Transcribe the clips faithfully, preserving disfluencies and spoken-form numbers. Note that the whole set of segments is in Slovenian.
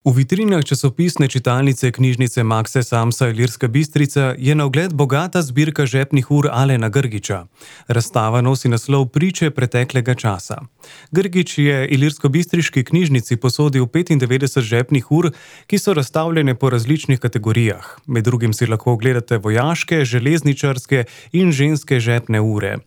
V vitrinah časopisne čitalnice knjižnice Makse Samsa Ilirska Bistrica je na ogled bogata zbirka žepnih ur Alena Grgića. Razstava nosi naslov Priče preteklega časa. Grgić je ilirskobistriški knjižnici posodil petindevetdeset žepnih ur, ki so razstavljene po različnih kategorijah. Med drugim si lahko ogledate vojaške, železničarske in ženske žepne ure.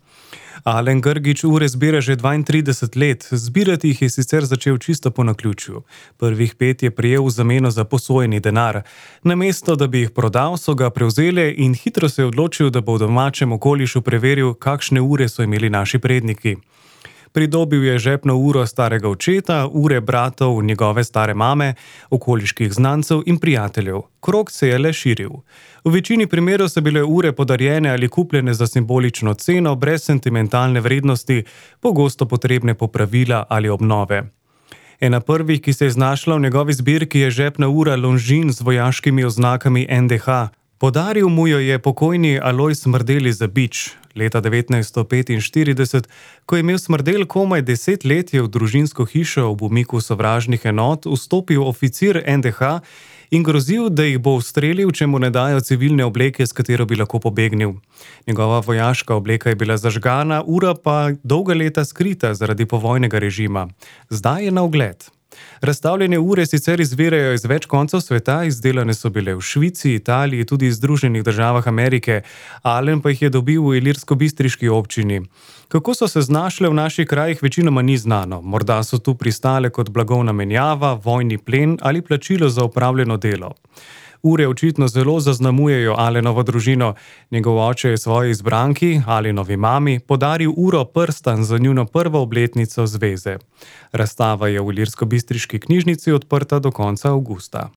Alen Grgić ure zbira že dvaintrideset let, zbirati jih je sicer začel čisto po naključju. Prvih pet je prejel v zameno za posojeni denar. Namesto, da bi jih prodal, so ga prevzeli in hitro se je odločil, da bo v domačem okolišu preveril, kakšne ure so imeli naši predniki. Pridobil je žepno uro starega očeta, ure bratov njegove stare mame, okoliških znancev in prijateljev. Krog se je le širil. V večini primerov so bile ure podarjene ali kupljene za simbolično ceno, brez sentimentalne vrednosti, pogosto potrebne popravila ali obnove. Ena prvih, ki se je znašla v njegovi zbirki, je žepna ura Longines z vojaškimi oznakami en de ha. Podaril mu jo je pokojni Alojz Smrdelj iz Zabič. Leta devetnajststo petinštirideset, ko je imel Smrdelj komaj deset let, je v družinsko hišo ob umiku sovražnih enot vstopil oficir en de ha in grozil, da jih bo ustrelil, če mu ne dajo civilne obleke, s katero bi lahko pobegnil. Njegova vojaška obleka je bila zažgana, ura pa dolga leta skrita zaradi povojnega režima. Zdaj je na ogled. Razstavljene ure sicer izvirajo iz več koncev sveta, izdelane so bile v Švici, Italiji, tudi v Združenih državah Amerike, Alen pa jih je dobil v ilirskobistriški občini. Kako so se znašle v naših krajih, večinoma ni znano. Morda so tu pristale kot blagovna menjava, vojni plen ali plačilo za opravljeno delo. Ure očitno zelo zaznamujejo Alenovo družino. Njegov oče je svoji izbranki, Alenovi mami, podaril uro prstan za njuno prvo obletnico zveze. Razstava je v ilirskobistriški knjižnici odprta do konca avgusta.